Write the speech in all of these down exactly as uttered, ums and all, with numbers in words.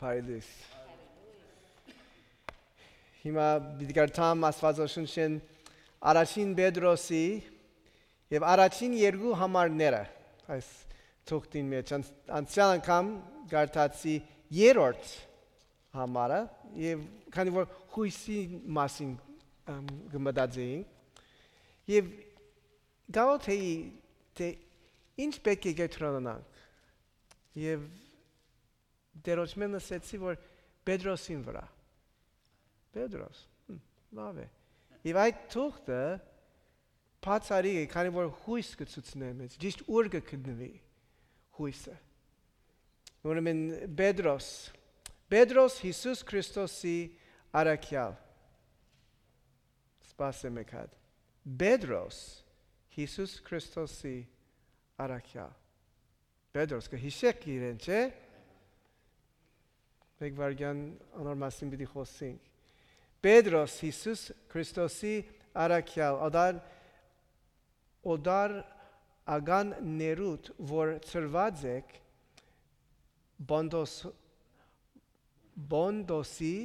Փայլիս։ Հիմա պիտի կարդամ Աստուածաշունչէն առաջին Պետրոսի եւ առաջին երկու համարները։ Այս թուղթին մեջ անց-, անցեալ անգամ կարդացի երրորդ համարը, եւ քանի որ յոյսի մասին, ըմ, կը մտածեինք, եւ գաղութ էի, թէ ինչ պէտք է կեդրոնանանք, եւ Տէրոջմէն լսեցի, որ Պետրոսին վրայ։ Պետրոս, հմ, լաւ է։ Եւ այդ թուղթը բացառիկ է, քանի որ յոյս կը ցուցնէ մեզ, ճիշդ ուր կը գտնուի յոյսը։ Ուրեմն Պետրոս, Պետրոս Յիսուս Քրիստոսի առաքեալ։ Սպասէ մէկ հատ։ Պետրոս Յիսուս Քրիստոսի առաքեալ։ Պետրոս, կը յիշէք իրեն, չէ՞։ Մէկ վայրկեան անոր մասին պիտի խօսենք։ Պետրոս Յիսուս Քրիստոսի առաքեալ, օտար, օտար ական ներուտ, որ ծրուած եք Պոնտոս-, Պոնտոսի,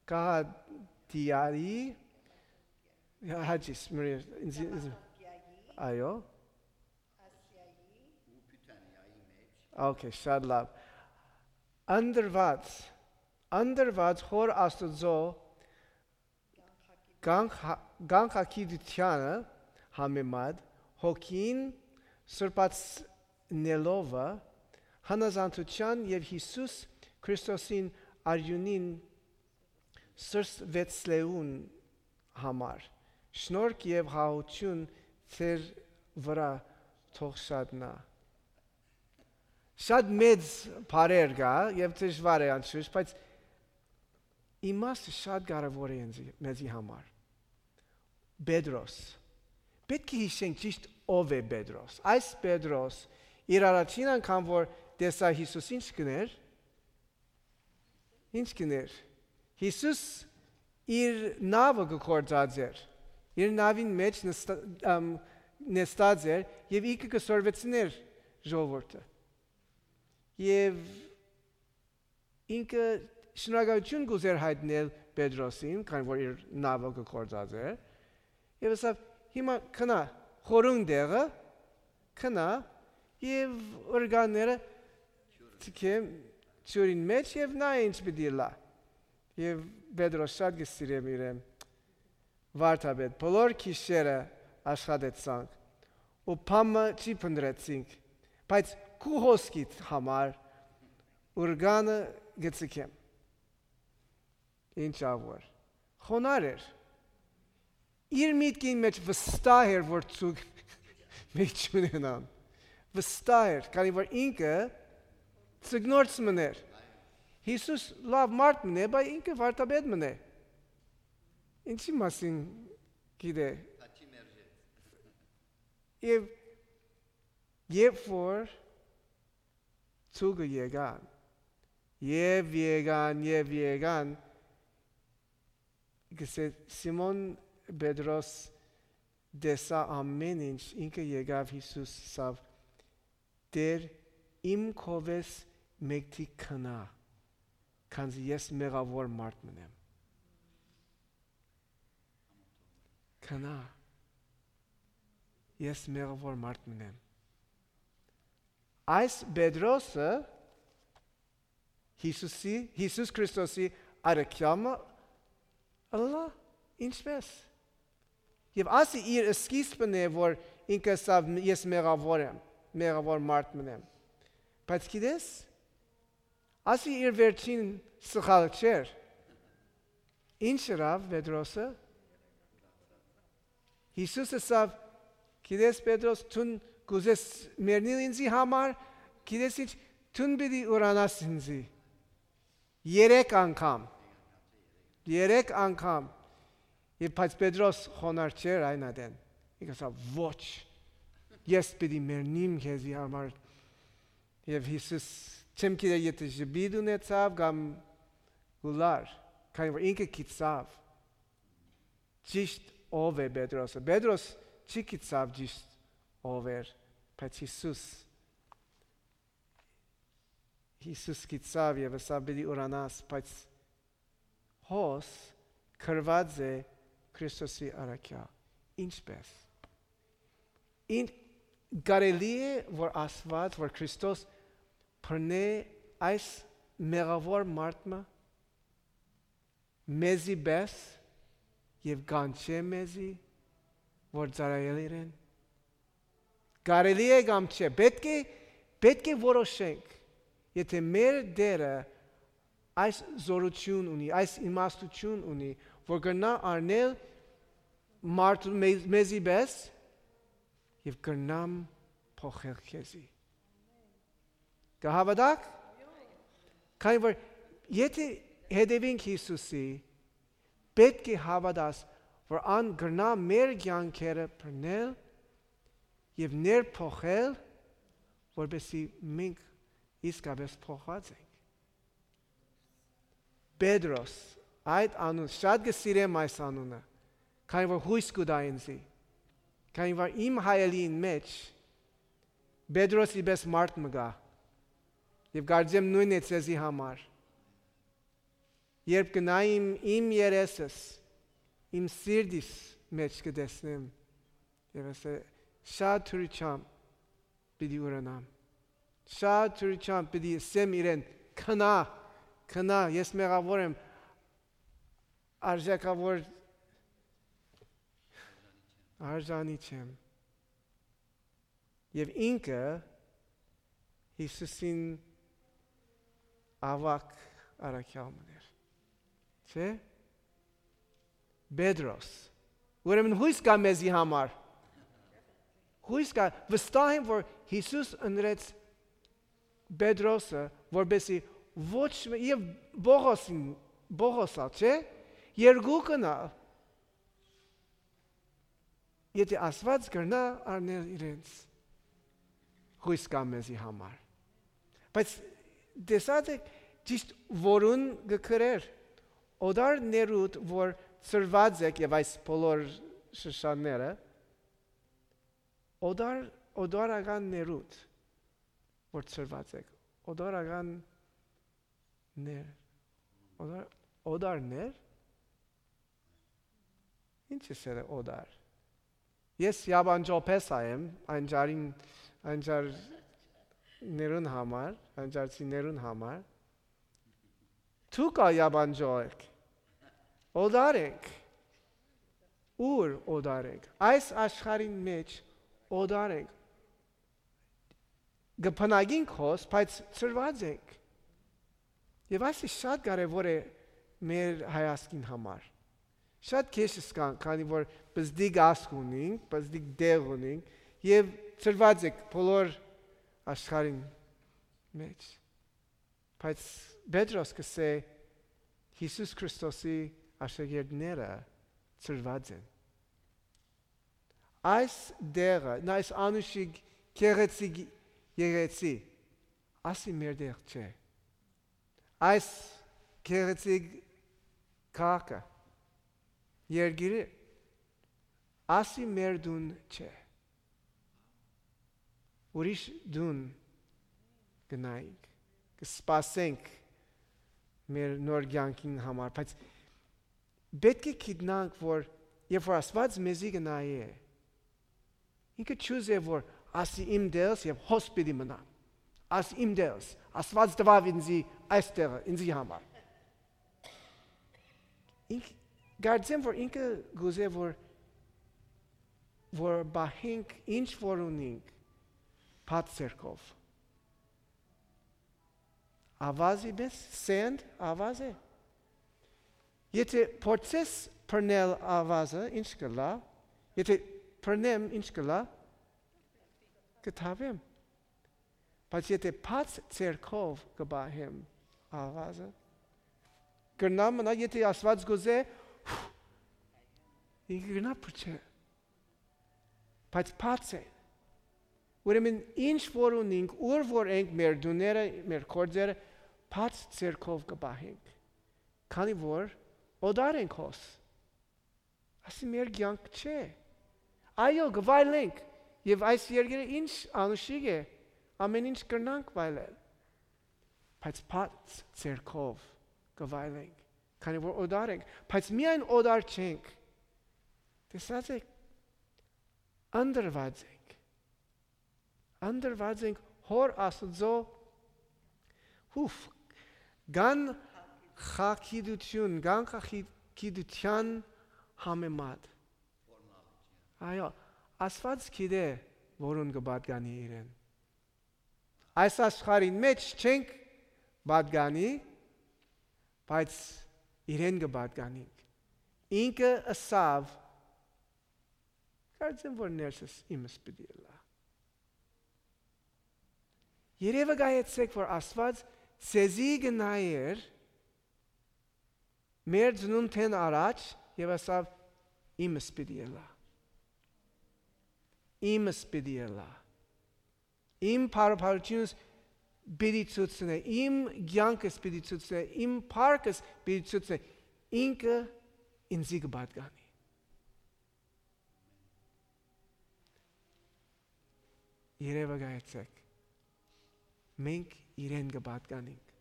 Կահատիայի, հաճիս, մրի, ինձ, ինձ, այո։ Okay, շատ լավ։ Անդրուած, անդրուած Հօր Աստուծոյ կանխ-, կանխագիտությանը համեմատ հոգին սրբացնելով, հնազանդութեան եւ Յիսուս Քրիստոսին արիւնին սրսվեցլեուն համար, շնորհք եւ յաղթութիւն ձեր վրայ թող շատնայ։ Շատ մեծ բառեր կայ եւ դժուար է անշուշտ, բայց իմաստը շատ կարեւոր է ինձի, մեզի համար։ Պետրոս։ Պէտք է յիշենք ճիշդ ով է Պետրոս։ Այս Պետրոս իր առաջին անգամ որ տեսայ Յիսուս, ինչ կ'ընէր, ինչ կ'ընէր։ Յիսուս իր նաւը կը գործածէր, իր նաւին մէջ նստա-, ըմ, նստած էր եւ ինքը կը սորվեցնէր ժողովուրդը։ Եւ ինքը շնորհակալութիւն կ'ուզէր յայտնել Պետրոսին, քանի որ իր նաւը կը գործածէր, եւ ըսաւ. «Հիմա քնա, խորուն տեղը, քնա եւ օրգանները թքեմ ջուրին մէջ եւ նայ ինչ պիտի ըլլայ»։ Եւ Պետրոս շատ կը սիրեմ իրեն, վարդապետ, բոլոր գիշերը աշխատեցանք ու բան մը չի փնտռեցինք, բայց քու հոսքիդ համար օրգանը կը ձգեմ։ Ինչ ա որ։ Խոնար էր։ Իր միտքին մէջ վստահ էր, որ ցուկ մէջ չունենան։ Վստահ էր, քանի որ ինքը ձկնորս մըն էր։ Յիսուս լաւ մարդ մըն է, բայց ինքը վարդապետ մըն է։ Ինչի՞ մասին գիտէ։ Եւ երբ որ ցուկը եկան, եւ եկան, եւ եկան, գսե Սիմոն Պետրոս տեսայ ամէն ինչ, ինքը եկաւ Յիսուս, ասաւ. «Տէր, իմ քովէս մէկդի քնա, քանզի ես մեղաւոր մարդ մըն եմ»։ Քնա, ես մեղաւոր մարդ մըն եմ։ Այս Պետրոսը Յիսուսի, Յիսուս Քրիստոսի առաքեալը ըլլայ, ինչպէս։ Եւ ասի իր սկիզբն է, որ ինքը ըսաւ. «Ես մեղաւոր եմ, մեղաւոր մարդ մըն եմ»։ Բայց գիտես, ասի իր վերջին սխալ չէր։ Ինչ ըրաւ Պետրոսը։ Յիսուս ըսաւ. «Գիտես, Պետրոս, դուն կ'ուզես մեռնիլ ինծի համար, գիտես ինչ, դուն պիտի ուրանաս ինծի»։ Երեք անգամ։ Երեք անգամ։ Եւ բայց Պետրոս խոնար չէր այն ատեն։ Ինք ասաւ. «Ոչ, ես պիտի մեռնիմ քեզի համար»։ Եւ Յիսուս, չեմ գիտեր, եթէ ժպիտ ունեցաւ կամ գուլար, քանի որ ինքը գիտցաւ ճիշտ ով է Պետրոսը։ Պետրոս չի գիտցաւ ճիշտ ով էր, բայց Յիսուս Յիսուս գիտցաւ եւ ըսաւ. «Պիտի ուրանաս», բայց հոս գրուած է Քրիստոսի առաքեալ։ Ինչպէս։ Ին կարելի է, որ Աստուած, որ Քրիստոս բռնէ այս մեղաւոր մարդ մը մեզի պէս եւ կանչէ մեզի, որ ծառայել իրեն։ Կարելի է կամ չէ, պէտք է, պէտք է որոշենք, եթէ մեր Տէրը այս զօրութիւն ունի, այս իմաստութիւն ունի, որ կրնայ առնել մարդու մեզ-, մեզի պէս եւ կրնամ փոխել քեզի։ Կը հաւատա՞ք։ Քանի որ եթէ հետեւինք Յիսուսի, պէտք է հաւատաս, որ ան կրնայ մեր կեանքերը բռնել եւ ներփոխել, որպեսզի մենք իսկապէս փոխուած ենք։ Պետրոս, այդ անուն, շատ կը սիրեմ այս անունը, քանի որ յոյս կու տայ ինծի, քանի որ իմ հայելիին մէջ Պետրոսի պէս մարդ մը կայ, եւ կարծեմ նոյնն է ձեզի համար։ Երբ կը նայեմ իմ երեսս, իմ սիրտիս մէջ կը տեսնեմ, եւ ասէ, շատ դրությամբ պիտի ուրանամ, շատ դրությամբ պիտի ասեմ իրեն. «Քնա, քնա, ես մեղաւոր եմ, արժակաւոր, արժանի չեմ»։ Եւ ինքը Յիսուսին աւագ առաքեալ մըն էր, չէ՞։ Պետրոս։ Ուրեմն յոյս կայ մեզի համար։ Յոյս կայ, վստահ եմ, որ Յիսուս ընտրեց Պետրոսը, որպեսզի ոչ մէ-, եւ Պողոսին, Պողոս ալ, չէ՞, երկուքն ալ, եթէ Աստուած կրնայ առնել իրենց, յոյս կայ մեզի համար։ Բայց տեսած եք, ճիշդ որուն կը գրէր, օտար ներուտ, որ ծրուած եք, եւ այս բոլոր շշանները, օտար, օտարական ներուտ, որ ծրուած եք, օտարական ներ, օտար, օտար ներ, ինչ ես երը օտար։ Ես յաբանջոփեսա եմ, անջարին, անջարներուն համար, անջարցիներուն համար։ Դուք ալ յաբանջո եք, օտար ենք։ Ո՞ւր օտար ենք։ Այս աշխարհին մէջ օտար ենք։ Կը բնակենք հոս, բայց ծրուած ենք։ Եւ այս շատ կարեւոր է մեր հայազգին համար։ Շատ քեշ կան, քանի որ պզդիկ ազգ ունենք, պզդիկ տեղ ունենք, եւ ծրուած ենք բոլոր աշխարհին մէջ։ Բայց Պետրոս կ'ըսէ, Յիսուս Քրիստոսի աշակերտները ծրուած են։ Այս տեղը, այս անուշիկ գեղեցիկ եկեղեցի, ասի մեր տեղ չէ։ Այս գեղեցիկ քաղաքը, երկիրը, ասի մեր տուն չէ։ Ուրիշ տուն կը նայենք, կը սպասենք մեր նոր կեանքին համար, բայց պէտք է գիտնանք, որ երբ որ Աստուած մեզի կը նայէ, ինքը չուզէ, որ ասի իմ դելս եւ հոս պիտի մնամ։ Ասի իմ դելս, Աստուած տուաւ ինձի այս տեղը, ինձի համար։ Ինք, կարծեմ, որ ինքը կուզէ, որ, որ պահենք, ինչ որ ունենք, բաց ձեռքով։ Ավազի մեզ, սենտ, ավազ է։ Եթէ փորձես բռնել ավազը, ինչ կ'ըլլայ, եթէ բռնեմ, ինչ կ'ըլլայ, կը թաղեմ։ Բայց եթէ բաց ձեռքով կը պահեմ ավազը, կրնամ մնալ, եթէ Աստուած կ'ուզէ, ինքը կրնայ փչել։ Բայց բաց է։ Ուրեմն ինչ որ ունենք, ուր որ ենք, մեր տուները, մեր գործերը, բաց ձեռքով կը պահենք, քանի որ օտար ենք հոս։ Ասի մեր կեանք չէ։ Այո, կը վայելենք, եւ այս երկիրը ինչ անուշիկ է, ամեն ինչ կրնանք վայելել։ բայց բաց ձեռքով կը վայելենք, քանի որ օտար ենք, բայց միայն օտար չենք։ Տեսած եք, ընտրուած ենք։ Ընտրուած ենք Հօր Աստուծոյ, հուֆ, կան խագիտութիւն, կան խագիտութեան համեմատ։ Այո, Աստուած գիտէ որուն կը պատկանի իրեն։ Այս աշխարհին մէջ չենք պատկանի, բայց իրեն կը պատկանինք։ Ինքը ըսաւ, կարծեմ որ ներսս իմս պիտի ըլլայ։ Երևակայեցէք որ Աստուած ձեզի կը նայէր մեր ծնունդէն առաջ եւ ասաւ. «Իմս պիտի ըլլայ, իմս պիտի ըլլայ, իմ բարբարութիւնս պիտի ցուցնէ, իմ կեանքս պիտի ցուցնէ, իմ փառքս պիտի ցուցնէ»։ Ինքը ինծի կը պատկանի։ Երևակայեցէք, մենք իրեն կը պատկանինք։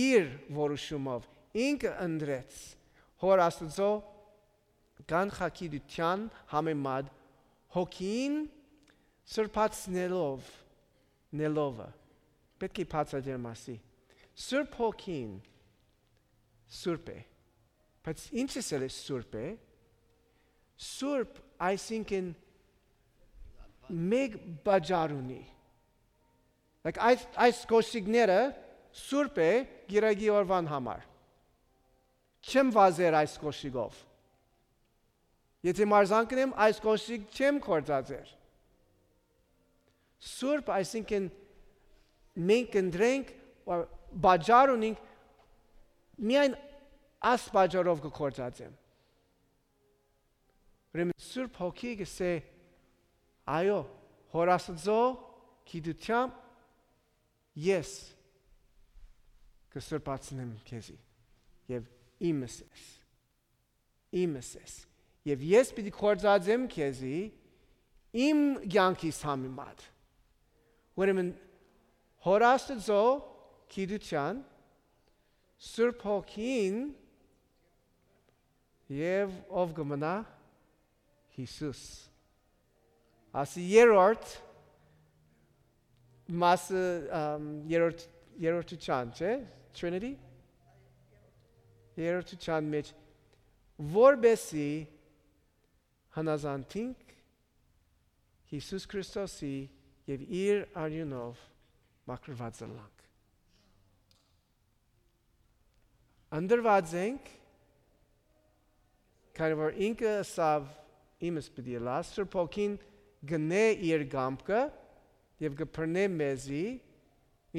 Իր որոշումով ինքը ընտրեց Հօր Աստուծոյ կանխագիտութեան համեմատ հոգին սրբացնելով, նելովը։ Պէտք է բացատրեմ ասի։ Սուրբ Հոգին սուրբ է, բայց ինչ ըսել է սուրբ է։ Սուրբ, այսինքն, մեկ պատճառ ունի։ Like, այս, այս կոշիկները սուրբ է գիրագի օրվան համար։ Չեմ վազեր այս կոշիկով։ Եթե մարզանք ունեմ, այս կոշիկ չեմ կործածեր։ Սուրբ, այսինքն, մենք կընտրենք, պատճառ ունենք, միայն այս պատճառով կկործածեմ։ Ուրեմն Սուրբ Հոգի կսե. «Այո, Հօր Աստուծոյ գիտութեամբ ես կսրբացնեմ քեզի եւ իմս ես, իմս ես, եւ ես պիտի կործածեմ քեզի իմ կեանքիս համեմատ»։ Ուրեմն Հօր Աստուծոյ գիտութեան, Սուրբ Հոգին եւ ով կը մնայ։ Յիսուս։ Ասի երրորդ մասը, ամ, երրորդ, երրորդութեան, չէ՞, Trinity։ Երրորդութեան մէջ, որպեսի հնազանդինք Յիսուս Քրիստոսի եւ իր արիւնով մաքրուած ըլլանք։ Ընտրուած ենք, քանի որ ինքը ըսաւ. «Իմս պիտի ըլլայ»։ Սուրբ Հոգին կ'ընէ իր կամքը եւ կը բռնէ մեզի։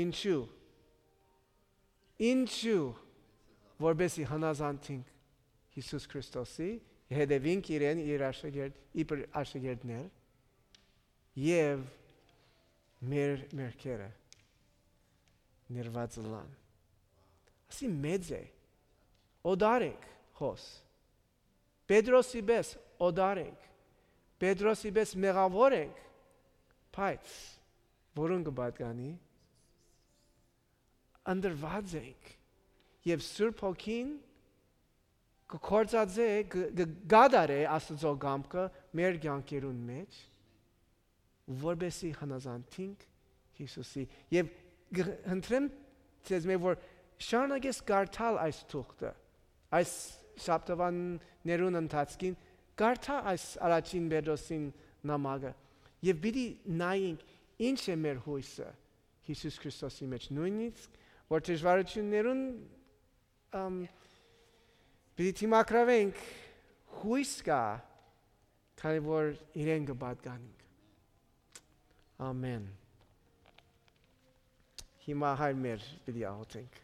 Ինչու։ Ինչու։ Որպեսի հնազանդինք Յիսուս Քրիստոսի, հետեւինք իրեն, իր աշակերտ իբր աշակերտներ, եւ մեր մեղքերը ներված ըլլան։ Ասի մեծ է, օտար ենք հոս։ Պետրոսի պէս օտար ենք, Պետրոսի պէս մեղաւոր ենք, բայց որուն կը պատկանի։ Ընտրուած ենք եւ Սուրբ Հոգին կը կործածէ, կը, կը կատարէ Աստուծոյ կամքը մեր կեանքերուն մէջ, որպեսի հնազանդինք Յիսուսի։ Եւ կ'ընտրեմ ձեզմէ որ շարունակես կարդալ այս թուղթը, այս շաբթավաններուն ընթացքին կարդա այս առաջին Պետրոսին նամակը եւ պիտի նայենք ինչ է մեր յոյսը Յիսուս Քրիստոսի մէջ, նոյնիսկ որ դժվարութիւններուն, ամ, պիտի դիմագրավենք, յոյս կայ, քանի որ իրեն կը պատկանինք։ Ամեն։ Հիմա հայր մեր պիտի աղոթենք։